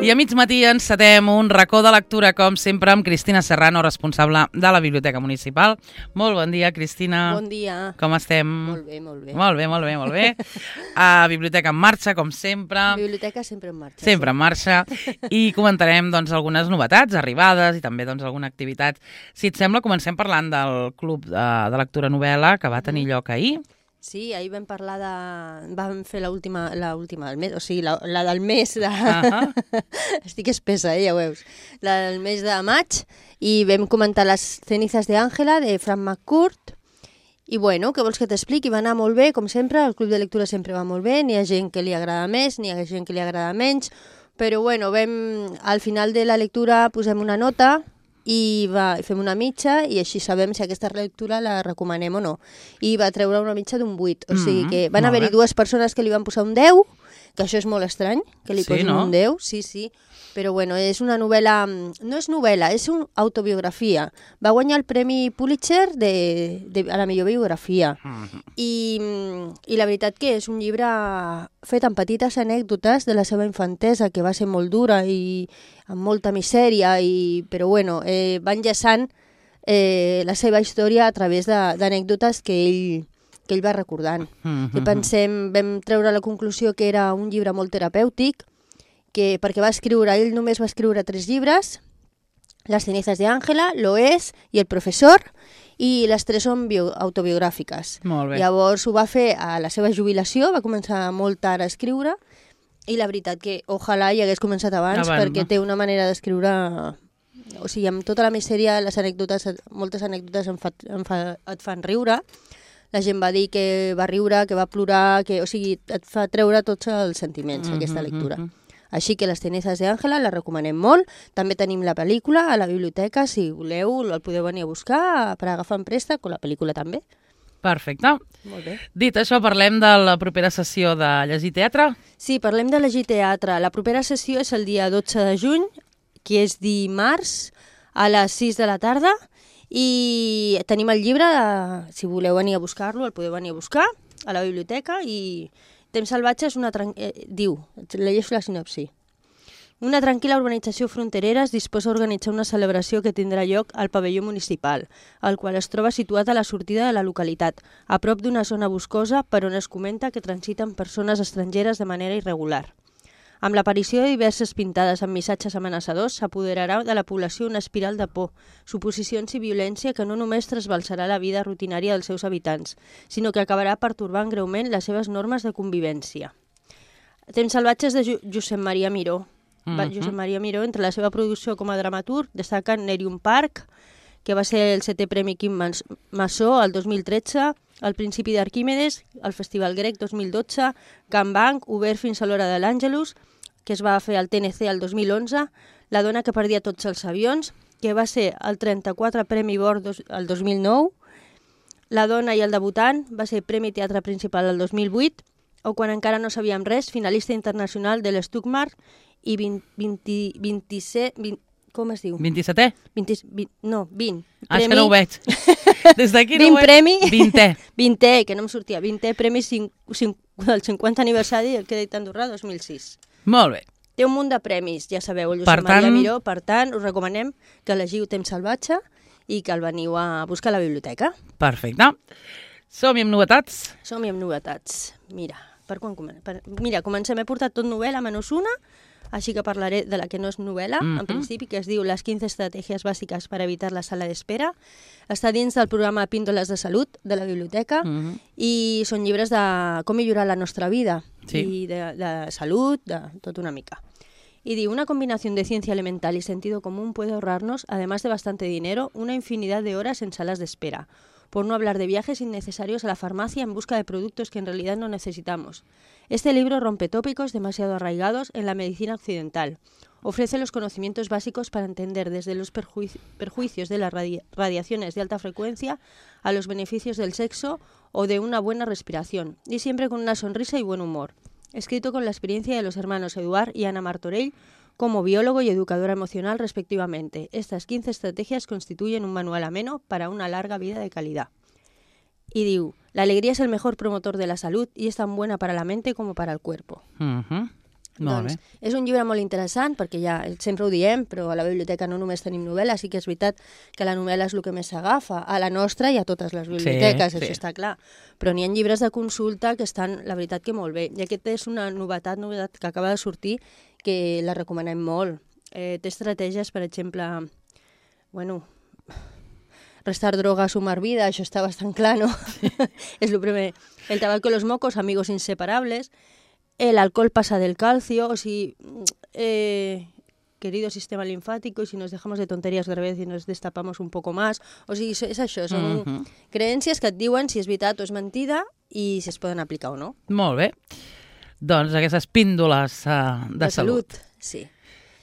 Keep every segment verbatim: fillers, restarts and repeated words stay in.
I a mig matí encetem un racó de lectura, com sempre, amb Cristina Serrano, responsable de la Biblioteca Municipal. Molt bon dia, Cristina. Bon dia. Com estem? Molt bé, molt bé. Molt bé, molt bé, molt bé. A Biblioteca en marxa, com sempre. Biblioteca sempre en marxa. Sempre sí. en marxa. I comentarem doncs, algunes novetats, arribades i també doncs, alguna activitat. Si et sembla, comencem parlant del Club de, de Lectura Novel·la que va tenir lloc ahir. Sí, ahir vam parlar de... Vam fer l'última, l'última del mes, o sigui, la, la del mes de... Uh-huh. Estic espessa, eh, ja ho veus. La del mes de maig, i vam comentar les cenizas de Àngela, de Frank McCourt, i bueno, què vols que t'expliqui? Va anar molt bé, com sempre, el club de lectura sempre va molt bé, n'hi ha gent que li agrada més, n'hi ha gent que li agrada menys, però bueno, vam, al final de la lectura posem una nota, i va, fem una mitja i així sabem si aquesta lectura la recomanem o no. I va treure una mitja d'un vuit, o sigui que van haver-hi dues persones que li van posar un deu, que això és molt estrany, que li Sí, posin no? un deu, sí, sí, però bueno, és una novel·la, no és novel·la, és una autobiografia. Va guanyar el Premi Pulitzer de, de, a la millor biografia. Uh-huh. I, I la veritat que és un llibre fet amb petites anècdotes de la seva infantesa, que va ser molt dura i amb molta misèria, i, però bueno, eh, va enllaçant eh, la seva història a través d'anècdotes que ell, que ell va recordant. Uh-huh. I pensem, vam treure la conclusió que era un llibre molt terapèutic, que, perquè va escriure, ell només va escriure tres llibres, Les cenizas de Àngela, Lo és i El professor, i les tres són bio, autobiogràfiques. Molt bé. Llavors ho va fer a la seva jubilació, va començar molt tard a escriure, i la veritat que ojalà hi hagués començat abans, Abans, perquè no? té una manera d'escriure... O sigui, amb tota la misèria, les anècdotes, moltes anècdotes em fa, em fa, et fan riure. La gent va dir que va riure, que va plorar, que, o sigui, et fa treure tots els sentiments, Mm-hmm, aquesta lectura. mm-hmm. Així que Les cenizas de Àngela la recomanem molt. També tenim la pel·lícula a la biblioteca, si voleu el podeu venir a buscar per agafar en préstec, o la pel·lícula també. Perfecte. Molt bé. Dit això, parlem de la propera sessió de Llegir Teatre. Sí, parlem de llegir teatre. La propera sessió és el dia dotze de juny, que és dimarts, a les sis de la tarda, i tenim el llibre, si voleu venir a buscar-lo, el podeu venir a buscar a la biblioteca, i Temps salvatge és una... Tran... Eh, diu, llegeixo la sinopsi. Una tranquil·la urbanització fronterera es disposa a organitzar una celebració que tindrà lloc al pavelló municipal, el qual es troba situat a la sortida de la localitat, a prop d'una zona boscosa per on es comenta que transiten persones estrangeres de manera irregular. Amb l'aparició de diverses pintades amb missatges amenaçadors, s'apoderarà de la població una espiral de por, suposicions i violència que no només trasbalsarà la vida rutinària dels seus habitants, sinó que acabarà pertorbant greument les seves normes de convivència. Temps salvatges de Ju Josep Maria Miró. Va, Mhm. Josep Maria Miró, entre la seva producció com a dramaturg, destaca Nerium Park, que va ser el setè Premi Quim Mas- Massó el dos mil tretze, El principi d'Arquímedes, el Festival Grec dos mil dotze, Can Banc, obert fins a l'hora de l'Àngelus, que es va fer al T N C el dos mil onze, La dona que perdia tots els avions, que va ser el trenta-quatre Premi Bor dos, el dos mil nou, La dona i el debutant, va ser Premi Teatre Principal el dos mil vuit, o Quan encara no sabíem res, finalista internacional de l'Stuttgart, i vint, vint, vint-i-set... vint, com es diu? vint-i-setè? vint, vint, no, vint. Ah, és que no ho veig. Des d'aquí no vint ho veig. premi. Vintè. Vintè, que no em sortia. Vintè Premi cinc, cinc, del cinquanta aniversari del Crèdit Andorrà dos mil sis. Molt bé. Té un munt de premis, ja sabeu, el Per Josep Maria tant- Miró. Per tant, us recomanem que llegiu Temps salvatge i que el veniu a buscar a la biblioteca. Perfecte. Som-hi amb novetats. Som-hi amb novetats. Mira, per quan comen per... Mira, comencem. He portat tot novel·la, menys una, així que parlaré de la que no és novel·la, Mhm. en principi, que es diu Les quince estrategias básicas para evitar la sala d'espera. Està dins del programa Píndoles de Salut de la biblioteca, Mhm. i són llibres de com millorar la nostra vida, Sí. y de, de salud, de tot una mica. Y digo, una combinación de ciencia elemental y sentido común puede ahorrarnos, además de bastante dinero, una infinidad de horas en salas de espera, por no hablar de viajes innecesarios a la farmacia en busca de productos que en realidad no necesitamos. Este libro rompe tópicos demasiado arraigados en la medicina occidental. Ofrece los conocimientos básicos para entender desde los perjuici- perjuicios de las radi- radiaciones de alta frecuencia a los beneficios del sexo o de una buena respiración, y siempre con una sonrisa y buen humor. Escrito con la experiencia de los hermanos Eduard y Ana Martorell como biólogo y educadora emocional respectivamente. Estas quince estrategias constituyen un manual ameno para una larga vida de calidad. Y diu, la alegría es el mejor promotor de la salud y es tan buena para la mente como para el cuerpo. Mhm. Molt Doncs bé. és un llibre molt interessant, perquè ja sempre ho diem, però a la biblioteca no només tenim novel·la, sí que és veritat que la novel·la és el que més s'agafa. A la nostra i a totes les biblioteques, Sí, això sí. està clar. Però n'hi ha llibres de consulta que estan, la veritat, que molt bé. I aquest és una novetat, novetat que acaba de sortir, que la recomanem molt. Eh, té estratègies, per exemple, bueno, restar droga, sumar vida, això està bastant clar, no? Sí. És el primer. El tabaco y los mocos, amigos inseparables. El alcohol pasa del calcio, o si, eh, querido sistema linfático, y si nos dejamos de tonterías otra vez y nos destapamos un poco más. O sigui, és això, són Mhm. creences que et diuen si és veritat o és mentida i si es poden aplicar o no. Molt bé. Doncs aquestes píndoles uh, de, De salut. salut, sí.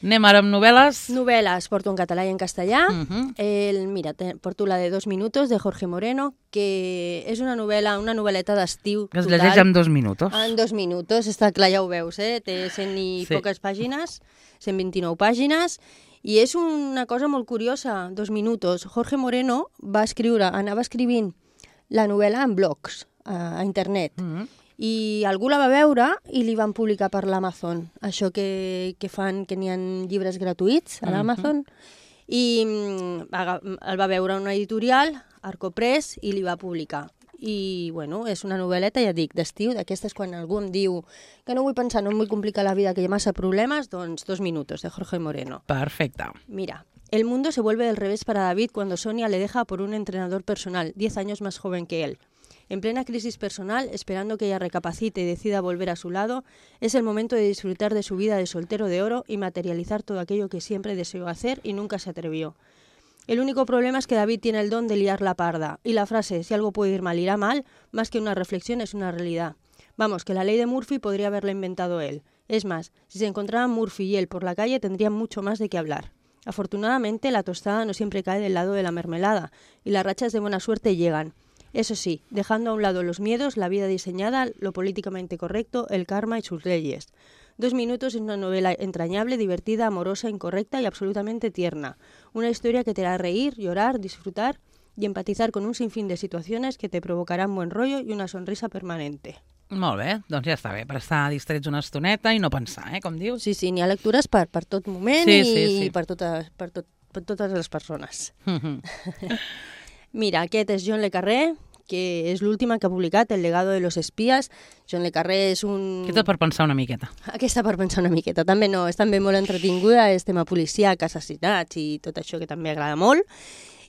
Anem ara amb novel·les. Novel·les, porto en català i en castellà. Mhm. El, mira, te, porto la de Dos minutos, de Jorge Moreno, que és una novel·la, una novel·leta d'estiu Que es total. llegeix en dos minuts. En dos minuts, està clar, ja ho veus, eh? Té cent i Sí. poques pàgines, cent vint-i-nou pàgines, i és una cosa molt curiosa, dos minuts. Jorge Moreno va escriure, anava escrivint la novel·la en blogs, a, a internet, Mhm. i algú la va veure i li van publicar per l'Amazon, això que, que fan, que n'hi ha llibres gratuïts a l'Amazon, i mm, aga- el va veure una editorial, Arco Press, i li va publicar. I, bueno, és una novel·leta, ja dic, d'estiu, d'aquestes quan algú em diu que no vull pensar, no em vull complicar la vida, que hi ha massa problemes, doncs Dos minutos, de Jorge Moreno. Perfecte. Mira, el mundo se vuelve del revés para David cuando Sonia le deja por un entrenador personal, diez años más joven que él. En plena crisis personal, esperando que ella recapacite y decida volver a su lado, es el momento de disfrutar de su vida de soltero de oro y materializar todo aquello que siempre deseó hacer y nunca se atrevió. El único problema es que David tiene el don de liar la parda, y la frase «si algo puede ir mal, irá mal», más que una reflexión, es una realidad. Vamos, que la ley de Murphy podría haberla inventado él. Es más, si se encontraran Murphy y él por la calle, tendrían mucho más de qué hablar. Afortunadamente, la tostada no siempre cae del lado de la mermelada, y las rachas de buena suerte llegan. Eso sí, dejando a un lado los miedos, la vida diseñada, lo políticamente correcto, el karma y sus leyes. Dos minutos es una novela entrañable, divertida, amorosa, incorrecta y absolutamente tierna. Una historia que te hará reír, llorar, disfrutar y empatizar con un sinfín de situaciones que te provocarán buen rollo y una sonrisa permanente. Molt bé, doncs ja està bé, per estar distrets una estoneta i no pensar, eh, com dius. Sí, sí, n'hi ha lectures per, per tot moment Sí, i sí, sí. Per, totes, per, tot, per totes les persones. Mhm. Mira, aquest és John le Carré, que és l'última que ha publicat, El legado de los espías. John le Carré és un... Aquesta per pensar una miqueta. Aquesta per pensar una miqueta. També no, és també molt entretinguda, és tema policíac, assassinats i tot això que també agrada molt.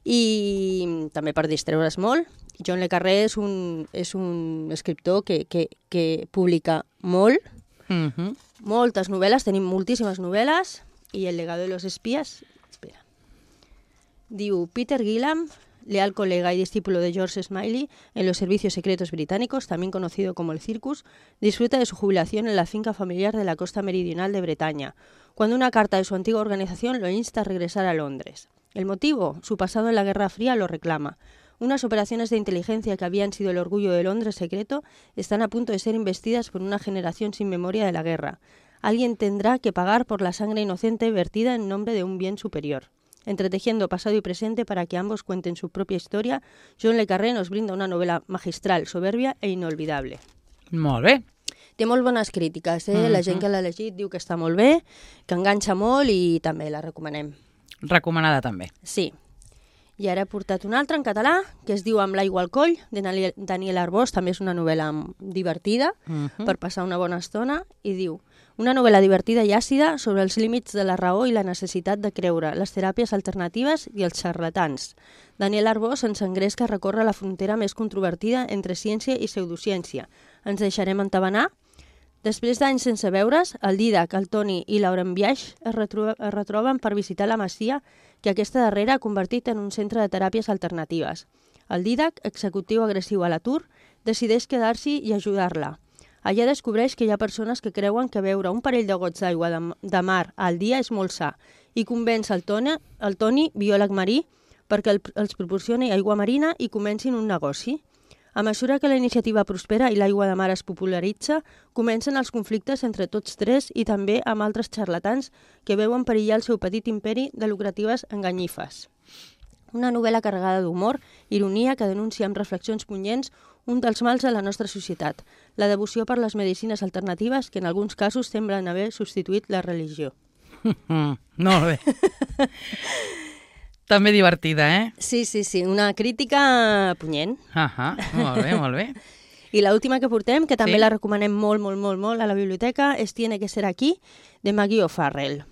I també per distreure's molt. John le Carré és un, és un escriptor que, que, que publica molt, Mhm. moltes novel·les, tenim moltíssimes novel·les, i El legado de los espías, espera, diu Peter Gillam, leal colega y discípulo de George Smiley en los servicios secretos británicos, también conocido como el Circus, disfruta de su jubilación en la finca familiar de la costa meridional de Bretaña, cuando una carta de su antigua organización lo insta a regresar a Londres. El motivo, su pasado en la Guerra Fría lo reclama. Unas operaciones de inteligencia que habían sido el orgullo de Londres secreto están a punto de ser investidas por una generación sin memoria de la guerra. Alguien tendrá que pagar por la sangre inocente vertida en nombre de un bien superior. Entretejiendo pasado y presente para que ambos cuenten su propia historia, John le Carré nos brinda una novela magistral, soberbia e inolvidable. Molt bé. Té molt bones crítiques, eh? La gent que l'ha llegit diu que està molt bé, que enganxa molt i també la recomanem. Recomanada també. Sí. I ara he portat una altra en català, que es diu Amb l'aigua al coll, de Daniel, Daniel Arbós, també és una novel·la divertida, Mhm. per passar una bona estona, i diu una novel·la divertida i àcida sobre els límits de la raó i la necessitat de creure, les teràpies alternatives i els xarlatans. Daniel Arbós ens engresca a recórrer la frontera més controvertida entre ciència i pseudociència. Ens deixarem entabanar? Després d'anys sense veure's, el Didac, el Toni i Lauren Biaix es, retro es retroben per visitar la masia que aquesta darrera ha convertit en un centre de teràpies alternatives. El Didac, executiu agressiu a l'atur, decideix quedar-s'hi i ajudar-la. Allà descobreix que hi ha persones que creuen que beure un parell de gots d'aigua de, de mar al dia és molt sa i convenç el Toni, el Toni biòleg marí, perquè el, els proporcioni aigua marina i comencin un negoci. A mesura que la iniciativa prospera i l'aigua de mar es popularitza, comencen els conflictes entre tots tres i també amb altres xarlatans que veuen perillar el seu petit imperi de lucratives enganyifes. Una novel·la carregada d'humor, ironia, que denuncia amb reflexions punyents un dels mals de la nostra societat, la devoció per les medicines alternatives que en alguns casos semblen haver substituït la religió. Mm, molt bé. També divertida, eh? Sí, sí, sí, una crítica punyent. Ah, molt bé, molt bé. I l'última que portem, que també Sí? la recomanem molt, molt, molt, molt a la biblioteca, és Tiene que ser aquí, de Maggie O'Farrell.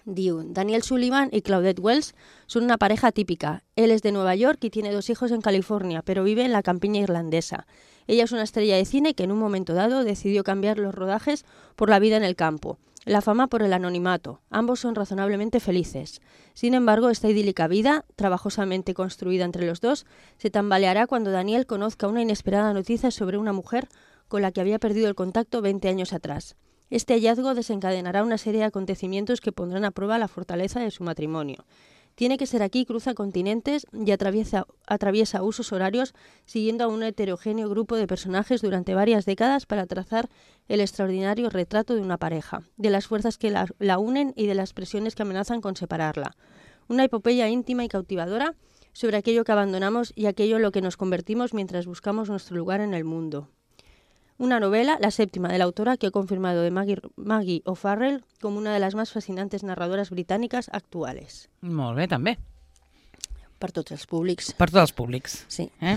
Diu, Daniel Sullivan y Claudette Wells son una pareja típica. Él es de Nueva York y tiene dos hijos en California, pero vive en la campiña irlandesa. Ella es una estrella de cine que en un momento dado decidió cambiar los rodajes por la vida en el campo, la fama por el anonimato. Ambos son razonablemente felices. Sin embargo, esta idílica vida, trabajosamente construida entre los dos, se tambaleará cuando Daniel conozca una inesperada noticia sobre una mujer con la que había perdido el contacto veinte años atrás. Este hallazgo desencadenará una serie de acontecimientos que pondrán a prueba la fortaleza de su matrimonio. Tiene que ser aquí, cruza continentes y atraviesa, atraviesa usos horarios siguiendo a un heterogéneo grupo de personajes durante varias décadas para trazar el extraordinario retrato de una pareja, de las fuerzas que la, la unen y de las presiones que amenazan con separarla. Una epopeya íntima y cautivadora sobre aquello que abandonamos y aquello en lo que nos convertimos mientras buscamos nuestro lugar en el mundo. Una novela, la séptima de la autora, que ha confirmado de Maggie, Maggie O'Farrell como una de las más fascinantes narradoras británicas actuales. Molt bé, també. Per tots els públics. Per tots els públics. Sí. Eh?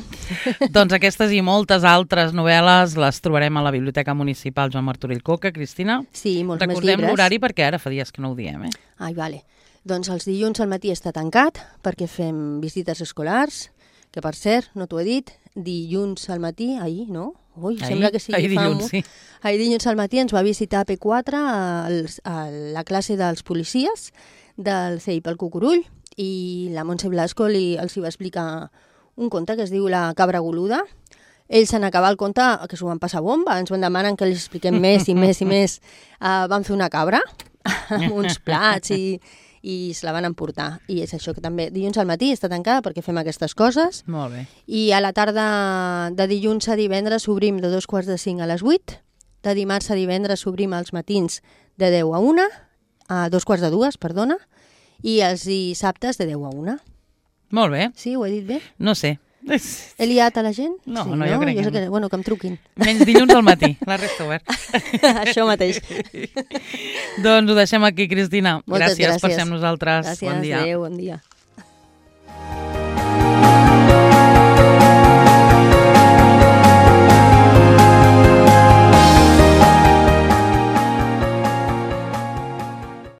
Doncs aquestes i moltes altres novel·les les trobarem a la Biblioteca Municipal Joan Martorell Coca. Cristina, Sí, molts més recordem llibres. l'horari perquè ara fa dies que no ho diem, eh? Ai, vale. Doncs els dilluns al matí està tancat perquè fem visites escolars, que per cert, no t'ho he dit, dilluns al matí, ahir, no? Ui, Ahir? sembla que sí. Ahir fa dilluns, mo- sí. Ahir dilluns al matí ens va visitar P quatre als, a la classe dels policies del C I P al Cucurull i la Montse Blasco li, els hi va explicar un conte que es diu La cabra goluda. Ells en acabar el conte, que s'ho van passar bomba, ens van demanar que els expliquem més i més i més. Uh, van fer una cabra amb uns plats i, i se la van emportar. I és això que també dilluns al matí està tancada perquè fem aquestes coses. Molt bé. I a la tarda de dilluns a divendres obrim de dos quarts de cinc a les vuit. De dimarts a divendres obrim els matins de deu a una, a dos quarts de dues, perdona, i els dissabtes de deu a una. Molt bé. Sí, ho he dit bé? No sé. He liat a la gent? No, sí, no, jo crec jo sé que que, no. bueno, que em truquin. Menys dilluns al matí, la resta obert. Això mateix. Doncs ho deixem aquí, Cristina. Moltes gràcies per gràcies. ser amb nosaltres. Gràcies, Bon dia. adéu, bon dia.